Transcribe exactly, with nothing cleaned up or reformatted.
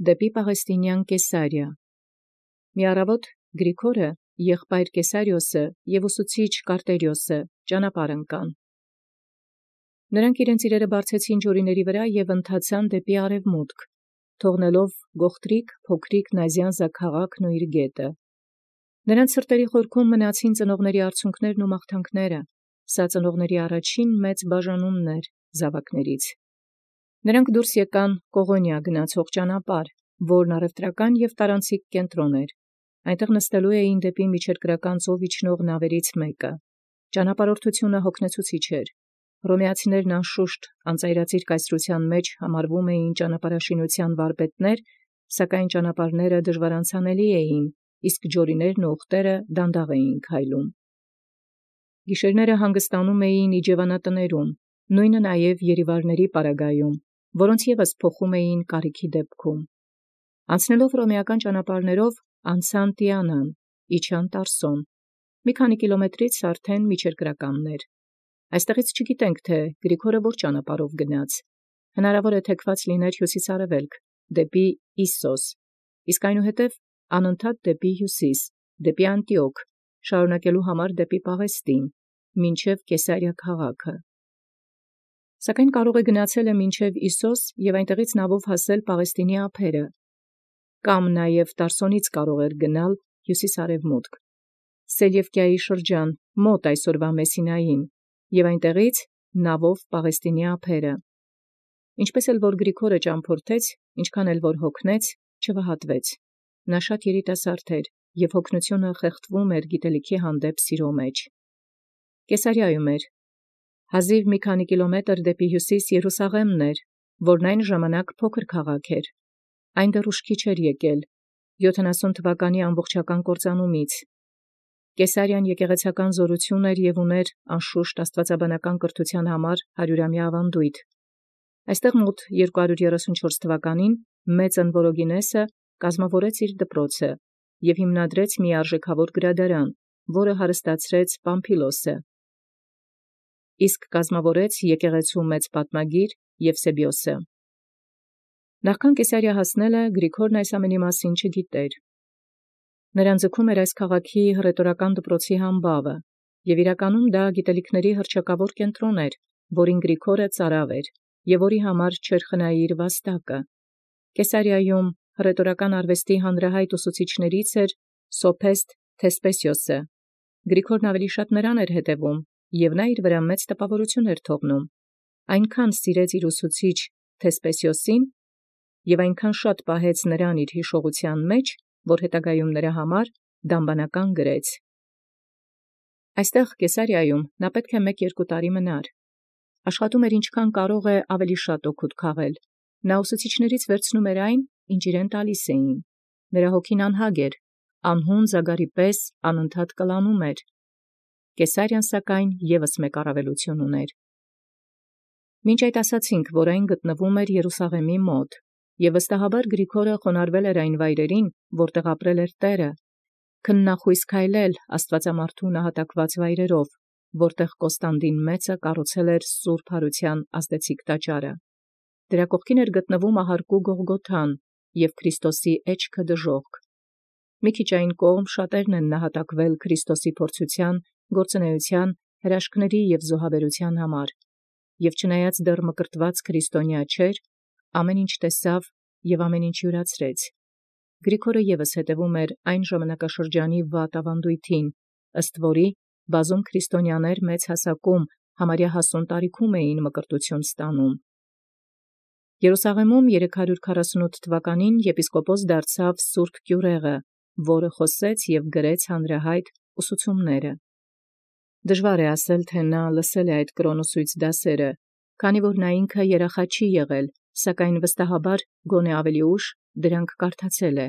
դեպի Պաղեստինյան Կեսարիա։ Մի առավոտ Գրիգորը, եղբայր Կեսարիոսը և ուսուցիչ Կարտերիոսը ճանապարհ ընկան։ Նրանք իրենց իրերը բարձեցին ջորիների վրա և ընթացան դեպի արևմուտք, թողնելով գողտրիկ փոքրիկ Նազիանզա քաղաքն ու իր գետը։ Նրանց սրտերի խորքում մնացին ծնողների արցունքներն ու մաղթանքները, սա ծնողների առաջին մեծ բաժանումն էր զավակներից։ Նրանք դուրս եկան Կողոնիա գնացող ճանապարհ, որն առևտրական և տարանցիկ կենտրոն էր։ Այնտեղ նստելու էին դեպի միջերկրական ծով իջնող նավերից մեկը։ Ճանապարհորդությունը հոգնեցուցիչ էր։ Հռոմեացիներն անշուշտ անծայրածիր կայսրության մեջ համարվում էին ճանապարհաշինության վարպետներ, սակայն ճանապարհները դժվարանցանելի էին, իսկ ջորիներն ու ուղտերը դանդաղ էին քայլում։ Գիշերները հանգստանում էին իջևանատներում, նույնը նաև երիվարների պարագայում, որոնց ևս փոխում էին կարիքի դեպքում։ Անցնելով հռոմեական ճանապարհներով անցան Տիանան, իջան Տարսոն, մի քանի կիլոմետրից արդեն միջերկրականն էր։ Այստեղից չգիտենք, թե Գրիգորը որ ճանապարհով գնաց։ Հնարավոր է թեքված լիներ հյուսիս-արևելք, դեպի Իսսոս, իսկ այնուհետև անընդհատ դեպի հյուսիս, դեպի Անտիոք, շարունակելու համար դեպի Պաղեստին, մինչև Կեսարիա քաղաքը։ Սակայն կարող է գնացել է մինչև Իսսոս և այնտեղից նավով հասել Պաղեստինի ափերը, կամ նաև Տարսոնից կարող էր գնալ հյուսիս-արևմուտք, Սելևկիայի շրջան, մոտ այսօրվա Մեսինային, և այնտեղից նավով Պաղեստինի ափերը։ Ինչպես էլ որ Գրիգորը ճամփորդեց, ինչքան էլ որ հոգնեց, չվհատվեց։ Նա շատ երիտասարդ էր, և հոգնությունը խեղդվում էր գիտելիքի հանդեպ սիրո մեջ։ Կեսարիայում էր։ Հազիվ մի քանի կիլոմետր դեպի հյուսիս Երուսաղեմն էր, որն այն ժամանակ փոքր քաղաք էր։ Այն դեռ ուշքի չէր եկել յոթանասուն թվականի ամբողջական կործանումից։ Կեսարիան եկեղեցական զորություն էր և ուներ անշուշտ աստվածաբանական կրթության համար հարյուրամյա ավանդույթ։ Այստեղ մոտ երկու հարյուր երեսունչորս թվականին մեծ Ընվորոգինեսը կազմավորեց իր դպրոցը և հիմնադրեց մի արժեքավոր գրադարան, որը հարստացրեց Պամփիլոսը, իսկ կազմավորեց եկեղեցու մեծ պատմագիր Եվսեբիոսը։ Նախքան Կեսարիա հասնելը Գրիգորն այս ամենի մասին չգիտեր։ Նրան ձգում էր այս քաղաքի հռետորական դպրոցի համբավը, և իրականում դա գիտելիքների հռչակավոր կենտրոն էր, որին Գրիգորը ծարավ էր, և որի համար չէր խնայի իր վաստակը։ Կեսարիայում հռետորական արվեստի հանրահայտ ուսուցիչներից էր Սոփեստ Թեսպեսիոսը։ Գրիգորն ավելի շատ նրան էր հետևում, և նա իր վրա մեծ տպավորություն էր թողնում։ Այնքան սիրեց իր ուսուցիչ Թեսպեսիոսին և այնքան շատ պահեց նրան իր հիշողության մեջ, որ հետագայում նրա համար դամբանական գրեց։ Այստեղ Կեսարիայում նա պետք է մեկ-երկու տարի մնար։ Աշխատում էր ինչքան կարող է ավելի շատ օգուտ քաղել։ Նա ուսուցիչներից վերցնում էր այն, ինչ իրեն տալիս էին։ Նրա հոգին անհագ էր, անհուն զագարի պես անընդհատ կլանում էր։ Կեսարիան սակայն ևս մեկ առավելություն ուներ։ Մինչ այդ ասացինք, որ այն գտնվում էր Երուսաղեմի մոտ, և վստահաբար Գրիգորը խոնարհվել էր այն վայրերին, որտեղ ապրել էր Տերը, քննախույս քայլել աստվածամարդու նահատակված վայրերով, որտեղ Կոստանդին մեծը կառուցել էր սուրբ հարության ազդեցիկ տաճարը։ Դրա կողքին էր գտնվում ահարկու Գողգոթան և Քրիստոսի էջքը դժոխք։ Մի քիչ այն կողմ շատերն են նահատակվել Քրիստոսի փորձութեան, գործունեության, հրաշքների և զոհաբերության համար, և չնայած դեռ մկրտված քրիստոնյա չէր, ամեն ինչ տեսավ և ամեն ինչ յուրացրեց։ Գրիգորը ևս հետևում էր այն ժամանակաշրջանի վատ ավանդույթին, ըստ որի բազում քրիստոնյաներ մեծ հասակում համարյա հասուն տարիքում էին մկրտություն ստանում։ Երուսաղեմում երեք հարյուր քառասունութ թվականին եպիսկոպոս դարձավ Սուրբ Կյուրեղը, որը խոսեց և գրեց հանրահայտ ուսուցումները։ Դժվար է ասել, թե նա լսել է այդ կրոնոսույց դասերը, քանի որ նա ինքը երախա չի եղել, սակայն վստահաբար գոնե ավելի ուշ դրանք կարդացել է։